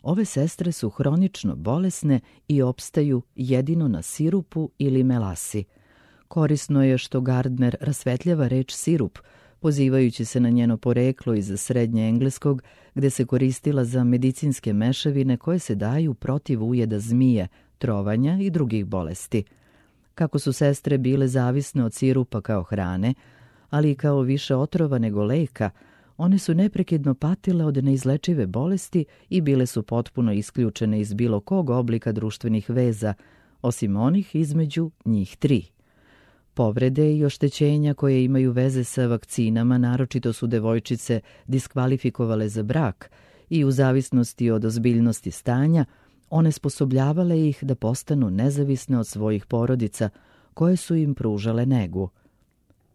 ove sestre su hronično bolesne i opstaju jedino na sirupu ili melasi. Korisno je što Gardner rasvetljava reč sirup, pozivajući se na njeno poreklo iz srednje engleskog, gde se koristila za medicinske mešavine koje se daju protiv ujeda zmije, trovanja i drugih bolesti. Kako su sestre bile zavisne od sirupa kao hrane, ali i kao više otrova nego leka, one su neprekidno patile od neizlečive bolesti i bile su potpuno isključene iz bilo kog oblika društvenih veza, osim onih između njih tri. Povrede i oštećenja koje imaju veze sa vakcinama, naročito su devojčice diskvalifikovale za brak i u zavisnosti od ozbiljnosti stanja, one sposobljavale ih da postanu nezavisne od svojih porodica, koje su im pružale negu.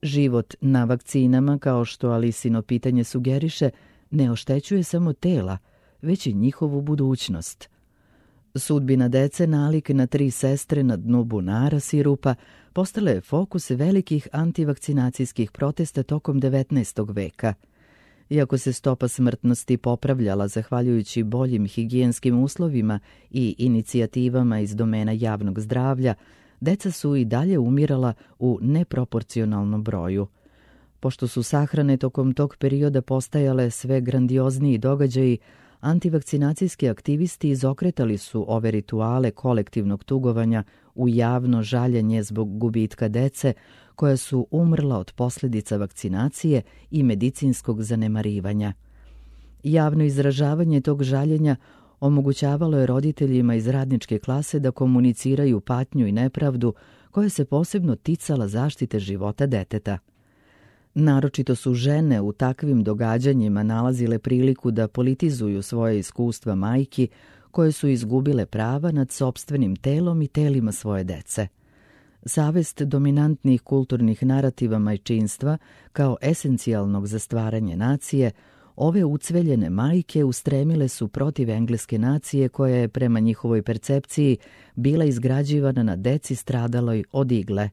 Život na vakcinama, kao što Alisino pitanje sugeriše, ne oštećuje samo tela, već i njihovu budućnost. Sudbina dece nalik na tri sestre na dnu bunara sirupa postala je fokus velikih antivakcinacijskih protesta tokom devetnaestog veka. Iako se stopa smrtnosti popravljala zahvaljujući boljim higijenskim uslovima i inicijativama iz domena javnog zdravlja, deca su i dalje umirala u neproporcionalnom broju. Pošto su sahrane tokom tog perioda postajale sve grandiozniji događaji, antivakcinacijski aktivisti izokretali su ove rituale kolektivnog tugovanja u javno žaljenje zbog gubitka dece koja su umrla od posljedica vakcinacije i medicinskog zanemarivanja. Javno izražavanje tog žaljenja omogućavalo je roditeljima iz radničke klase da komuniciraju patnju i nepravdu koja se posebno ticala zaštite života deteta. Naročito su žene u takvim događanjima nalazile priliku da politizuju svoje iskustva majki koje su izgubile prava nad sopstvenim telom i telima svoje dece. Savest dominantnih kulturnih narativa majčinstva kao esencijalnog za stvaranje nacije, ove ucveljene majke ustremile su protiv engleske nacije koja je prema njihovoj percepciji bila izgrađivana na deci stradaloj od igle.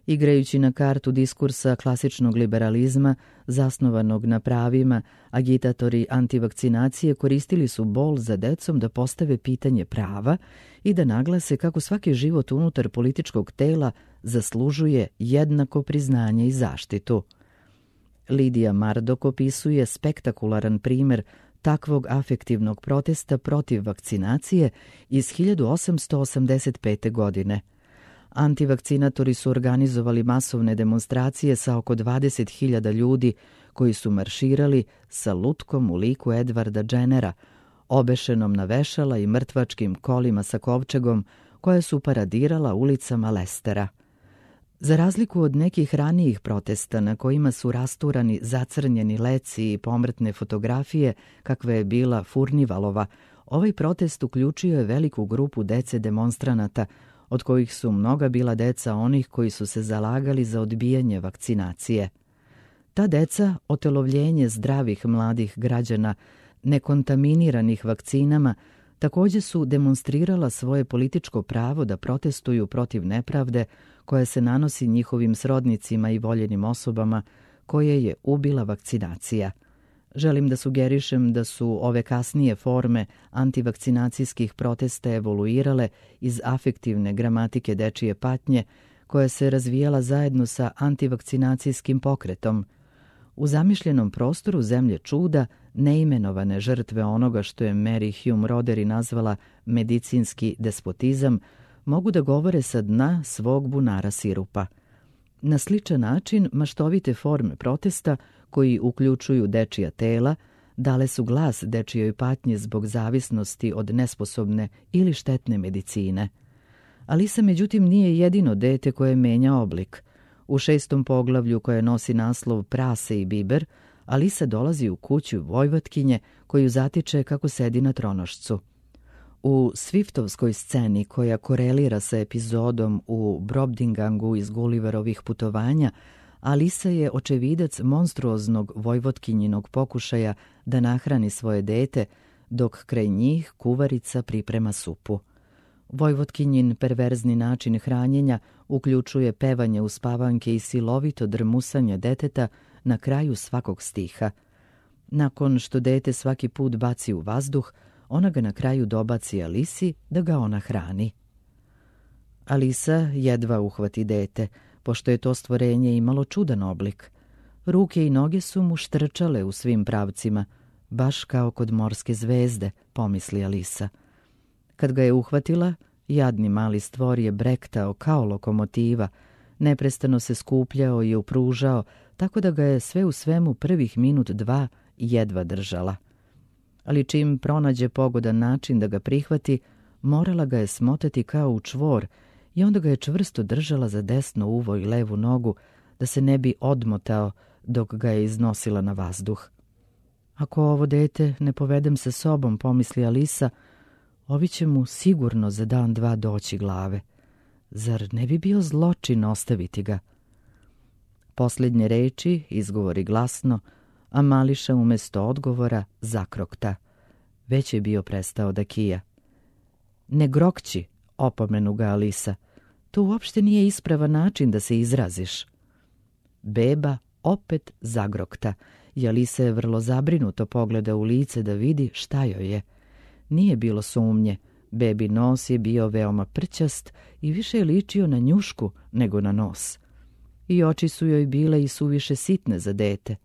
Igrajući na kartu diskursa klasičnog liberalizma, zasnovanog na pravima, agitatori antivakcinacije koristili su bol za decom da postave pitanje prava i da naglase kako svaki život unutar političkog tela zaslužuje jednako priznanje i zaštitu. Lidija Mardok opisuje spektakularan primjer takvog afektivnog protesta protiv vakcinacije iz hiljadu osamsto osamdeset pete. godine. Antivakcinatori su organizovali masovne demonstracije sa oko dvadeset hiljada ljudi koji su marširali sa lutkom u liku Edvarda Dženera, obešenom na vešala i mrtvačkim kolima sa kovčegom koje su paradirala ulicama Lestera. Za razliku od nekih ranijih protesta na kojima su rasturani zacrnjeni leci i pomrtne fotografije, kakva je bila Furnivalova, ovaj protest uključio je veliku grupu dece demonstranata, od kojih su mnoga bila deca onih koji su se zalagali za odbijanje vakcinacije. Ta deca, otelovljenje zdravih mladih građana, nekontaminiranih vakcinama, također su demonstrirala svoje političko pravo da protestuju protiv nepravde koja se nanosi njihovim srodnicima i voljenim osobama koje je ubila vakcinacija. Želim da sugerišem da su ove kasnije forme antivakcinacijskih protesta evoluirale iz afektivne gramatike dečije patnje koja se razvijala zajedno sa antivakcinacijskim pokretom. U zamišljenom prostoru zemlje čuda, neimenovane žrtve onoga što je Mary Hume Roderi nazvala medicinski despotizam, mogu da govore sa dna svog bunara sirupa. Na sličan način maštovite forme protesta koji uključuju dečija tela, dale su glas dečijoj patnji zbog zavisnosti od nesposobne ili štetne medicine. Alisa međutim nije jedino dete koje menja oblik. U šestom poglavlju koje nosi naslov Prase i biber, Alisa dolazi u kuću Vojvotkinje koju zatiče kako sedi na tronošcu. U Swiftovskoj sceni koja korelira sa epizodom u Brobdingangu iz Gulliverovih putovanja, Alisa je očevidac monstruoznog Vojvotkinjinog pokušaja da nahrani svoje dete, dok kraj njih kuvarica priprema supu. Vojvotkinjin perverzni način hranjenja uključuje pevanje uspavanke i silovito drmusanje deteta na kraju svakog stiha. Nakon što dete svaki put baci u vazduh, ona ga na kraju dobaci Alisi da ga ona hrani. Alisa jedva uhvati dete, pošto je to stvorenje imalo čudan oblik. Ruke i noge su mu štrčale u svim pravcima, baš kao kod morske zvezde, pomisli Alisa. Kad ga je uhvatila, jadni mali stvor je brektao kao lokomotiva, neprestano se skupljao i upružao, tako da ga je sve u svemu prvih minut dva jedva držala. Ali čim pronađe pogodan način da ga prihvati, morala ga je smotati kao u čvor i onda ga je čvrsto držala za desno uvo i levu nogu, da se ne bi odmotao dok ga je iznosila na vazduh. Ako ovo dete ne povedem sa sobom, pomisli Alisa, ovi će mu sigurno za dan dva doći glave. Zar ne bi bio zločin ostaviti ga? Posljednje reči izgovori glasno, a Mališa umjesto odgovora zakrokta. Već je bio prestao da kija. Ne grokći, opomenu ga Alisa. To uopšte nije ispravan način da se izraziš. Beba opet zagrokta i Alisa je vrlo zabrinuto pogleda u lice da vidi šta joj je. Nije bilo sumnje. Bebi nos je bio veoma prćast i više je ličio na njušku nego na nos. I oči su joj bile i suviše sitne za dete.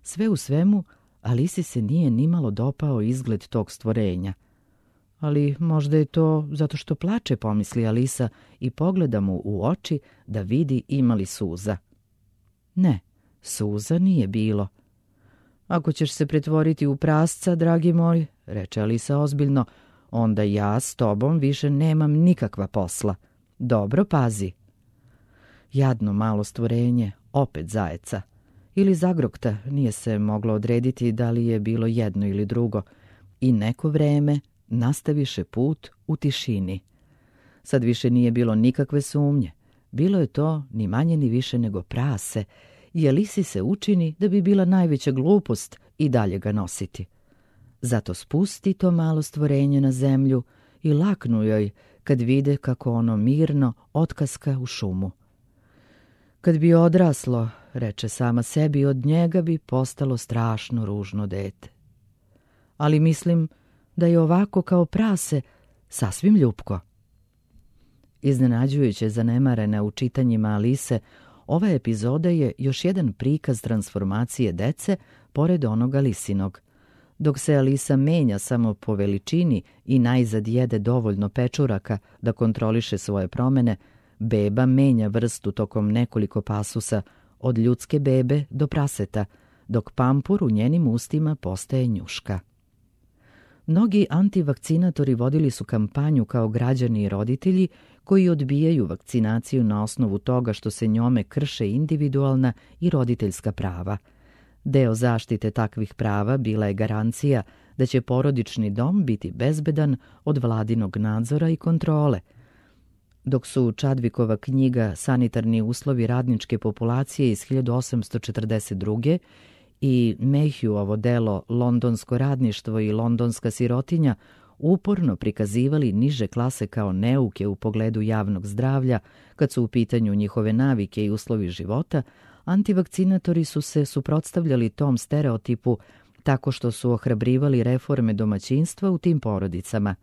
Sve u svemu, Alisi se nije nimalo dopao izgled tog stvorenja. Ali možda je to zato što plače, pomisli Alisa i pogleda mu u oči da vidi ima li suza. Ne, suza nije bilo. Ako ćeš se pretvoriti u prasca, dragi moj, reče Alisa ozbiljno, onda ja s tobom više nemam nikakva posla. Dobro pazi. Jadno malo stvorenje, opet zajeca. Ili zagrokta, nije se moglo odrediti da li je bilo jedno ili drugo. I neko vreme nastaviše put u tišini. Sad više nije bilo nikakve sumnje. Bilo je to ni manje ni više nego prase, i Alisi se učini da bi bila najveća glupost i dalje ga nositi. Zato spusti to malo stvorenje na zemlju i laknu joj kad vide kako ono mirno otkaska u šumu. Kad bi odraslo, reče sama sebi, od njega bi postalo strašno ružno dete. Ali mislim da je ovako kao prase sasvim ljupko. Iznenađujuće zanemarena u čitanjima Alise, ova epizoda je još jedan prikaz transformacije dece pored onoga Alisinog. Dok se Alisa menja samo po veličini i najzad jede dovoljno pečuraka da kontroliše svoje promene, beba menja vrstu tokom nekoliko pasusa, od ljudske bebe do praseta, dok pampur u njenim ustima postaje njuška. Mnogi antivakcinatori vodili su kampanju kao građani i roditelji koji odbijaju vakcinaciju na osnovu toga što se njome krše individualna i roditeljska prava. Deo zaštite takvih prava bila je garancija da će porodični dom biti bezbedan od vladinog nadzora i kontrole. Dok su Chadwickova knjiga Sanitarni uslovi radničke populacije iz hiljadu osamsto četrdeset druge i Mayhewovo delo Londonsko radništvo i londonska sirotinja uporno prikazivali niže klase kao neuke u pogledu javnog zdravlja, kad su u pitanju njihove navike i uslovi života, antivakcinatori su se suprotstavljali tom stereotipu tako što su ohrabrivali reforme domaćinstva u tim porodicama.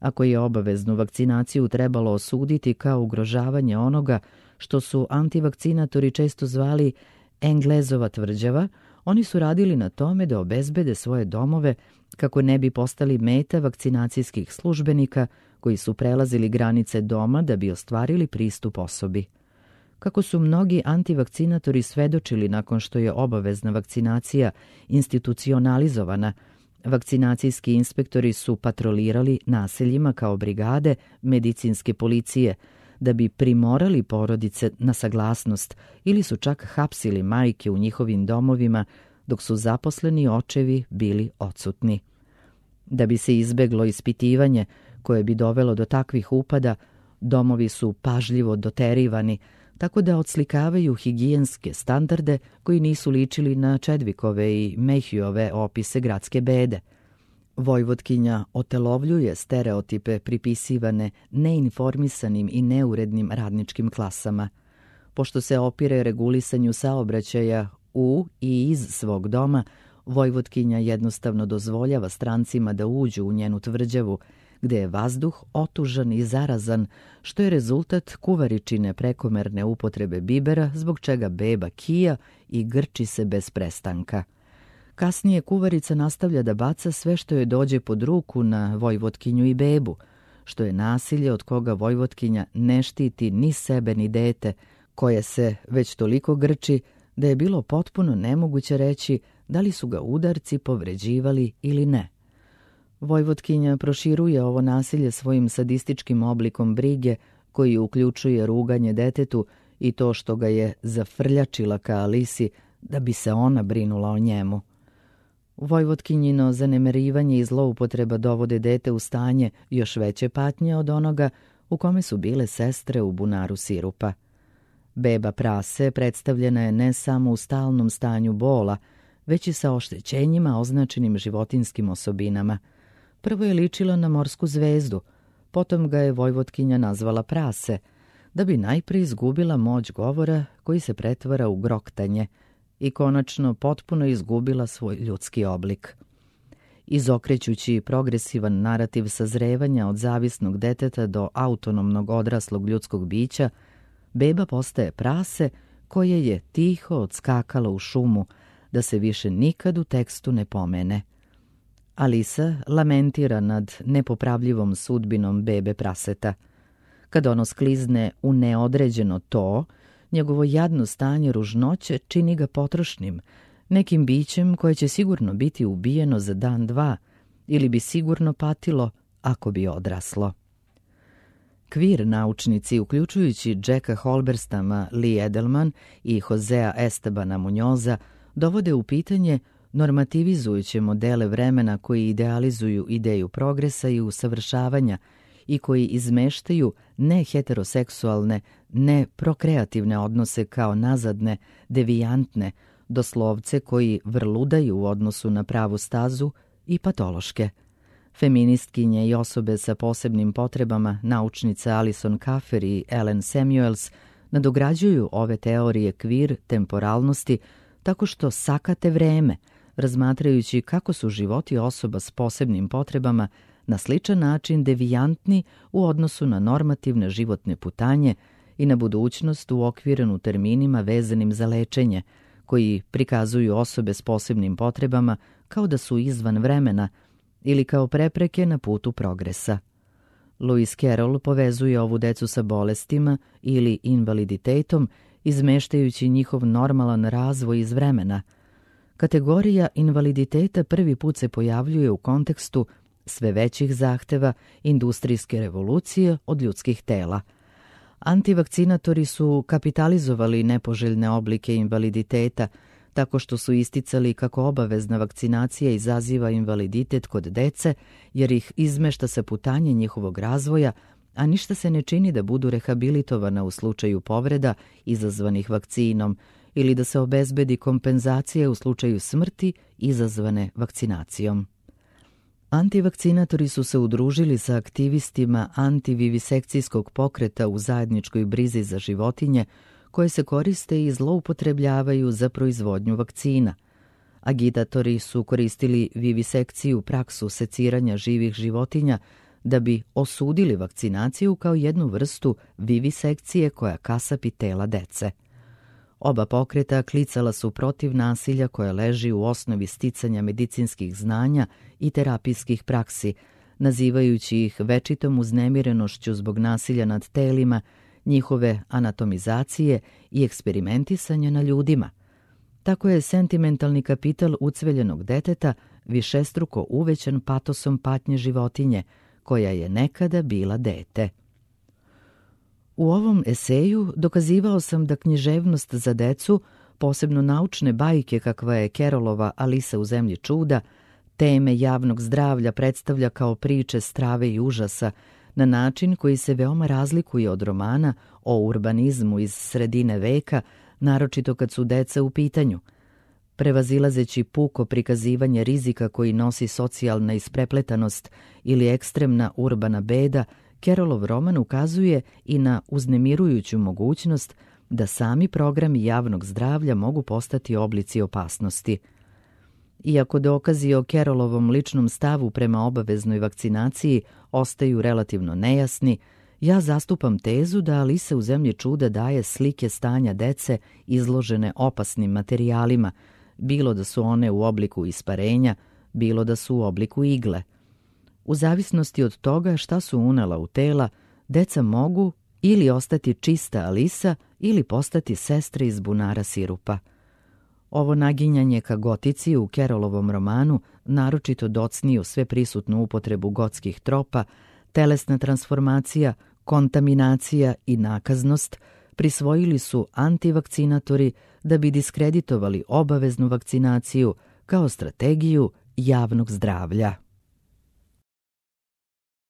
Ako je obaveznu vakcinaciju trebalo osuditi kao ugrožavanje onoga što su antivakcinatori često zvali Englezova tvrđava, oni su radili na tome da obezbede svoje domove kako ne bi postali meta vakcinacijskih službenika koji su prelazili granice doma da bi ostvarili pristup osobi. Kako su mnogi antivakcinatori svedočili nakon što je obavezna vakcinacija institucionalizovana, vakcinacijski inspektori su patrolirali naseljima kao brigade medicinske policije da bi primorali porodice na saglasnost ili su čak hapsili majke u njihovim domovima dok su zaposleni očevi bili odsutni. Da bi se izbeglo ispitivanje koje bi dovelo do takvih upada, domovi su pažljivo doterivani, tako da odslikavaju higijenske standarde koji nisu ličili na Chadwickove i Mayhewove opise gradske bede. Vojvotkinja otelovljuje stereotipe pripisivane neinformisanim i neurednim radničkim klasama. Pošto se opire regulisanju saobraćaja u i iz svog doma, Vojvotkinja jednostavno dozvoljava strancima da uđu u njenu tvrđavu, gde je vazduh otužan i zarazan, što je rezultat kuvaričine prekomerne upotrebe bibera, zbog čega beba kija i grči se bez prestanka. Kasnije kuvarica nastavlja da baca sve što joj dođe pod ruku na Vojvotkinju i bebu, što je nasilje od koga Vojvotkinja ne štiti ni sebe ni dete, koje se već toliko grči da je bilo potpuno nemoguće reći da li su ga udarci povređivali ili ne. Vojvotkinja proširuje ovo nasilje svojim sadističkim oblikom brige, koji uključuje ruganje detetu i to što ga je zafrljačila ka Alisi da bi se ona brinula o njemu. Vojvotkinjino zanemarivanje i zloupotreba dovode dete u stanje još veće patnje od onoga u kome su bile sestre u bunaru sirupa. Beba prase predstavljena je ne samo u stalnom stanju bola, već i sa oštećenjima označenim životinskim osobinama. Prvo je ličila na morsku zvezdu, potom ga je Vojvotkinja nazvala prase, da bi najprije izgubila moć govora koji se pretvara u groktanje i konačno potpuno izgubila svoj ljudski oblik. Izokrećući progresivan narativ sazrevanja od zavisnog deteta do autonomnog odraslog ljudskog bića, beba postaje prase koje je tiho odskakalo u šumu, da se više nikad u tekstu ne pomene. Alisa lamentira nad nepopravljivom sudbinom bebe praseta. Kad ono sklizne u neodređeno to, njegovo jadno stanje ružnoće čini ga potrošnim, nekim bićem koje će sigurno biti ubijeno za dan dva ili bi sigurno patilo ako bi odraslo. Kvir naučnici, uključujući Jacka Holberstama, Lee Edelman i Josea Estebana Munjoza, dovode u pitanje normativizujuće modele vremena koji idealizuju ideju progresa i usavršavanja i koji izmeštaju neheteroseksualne, neprokreativne odnose kao nazadne, devijantne, doslovce koji vrludaju u odnosu na pravu stazu i patološke. Feministkinje i osobe sa posebnim potrebama, naučnica Alison Kaffer i Ellen Samuels, nadograđuju ove teorije kvir temporalnosti tako što sakate vreme, razmatrajući kako su životi osoba s posebnim potrebama na sličan način devijantni u odnosu na normativne životne putanje i na budućnost uokvirenu terminima vezanim za lečenje, koji prikazuju osobe s posebnim potrebama kao da su izvan vremena ili kao prepreke na putu progresa. Lewis Carroll povezuje ovu decu sa bolestima ili invaliditetom, izmeštajući njihov normalan razvoj iz vremena. Kategorija invaliditeta prvi put se pojavljuje u kontekstu sve većih zahteva industrijske revolucije od ljudskih tela. Antivakcinatori su kapitalizovali nepoželjne oblike invaliditeta tako što su isticali kako obavezna vakcinacija izaziva invaliditet kod dece jer ih izmešta sa putanje njihovog razvoja, a ništa se ne čini da budu rehabilitovana u slučaju povreda izazvanih vakcinom ili da se obezbedi kompenzacija u slučaju smrti izazvane vakcinacijom. Antivakcinatori su se udružili sa aktivistima antivivisekcijskog pokreta u zajedničkoj brizi za životinje koje se koriste i zloupotrebljavaju za proizvodnju vakcina. Agitatori su koristili vivisekciju, praksu seciranja živih životinja, da bi osudili vakcinaciju kao jednu vrstu vivisekcije koja kasapi tela dece. Oba pokreta klicala su protiv nasilja koje leži u osnovi sticanja medicinskih znanja i terapijskih praksi, nazivajući ih večitom uznemirenošću zbog nasilja nad telima, njihove anatomizacije i eksperimentisanja na ljudima. Tako je sentimentalni kapital ucveljenog deteta višestruko uvećan patosom patnje životinje, koja je nekada bila dete. U ovom eseju dokazivao sam da književnost za decu, posebno naučne bajke kakva je Carrollova Alisa u zemlji čuda, teme javnog zdravlja predstavlja kao priče strave i užasa, na način koji se veoma razlikuje od romana o urbanizmu iz sredine veka, naročito kad su deca u pitanju. Prevazilazeći puko prikazivanje rizika koji nosi socijalna isprepletanost ili ekstremna urbana beda, Carrollov roman ukazuje i na uznemirujuću mogućnost da sami programi javnog zdravlja mogu postati oblici opasnosti. Iako dokazi o Carrollovom ličnom stavu prema obaveznoj vakcinaciji ostaju relativno nejasni, ja zastupam tezu da Alisa u zemlji čuda daje slike stanja dece izložene opasnim materijalima, bilo da su one u obliku isparenja, bilo da su u obliku igle. U zavisnosti od toga šta su unela u tela, deca mogu ili ostati čista Alisa ili postati sestre iz bunara sirupa. Ovo naginjanje ka gotici u Carrollovom romanu, naročito docniju sve prisutnu upotrebu gotskih tropa, telesna transformacija, kontaminacija i nakaznost, prisvojili su antivakcinatori da bi diskreditovali obaveznu vakcinaciju kao strategiju javnog zdravlja.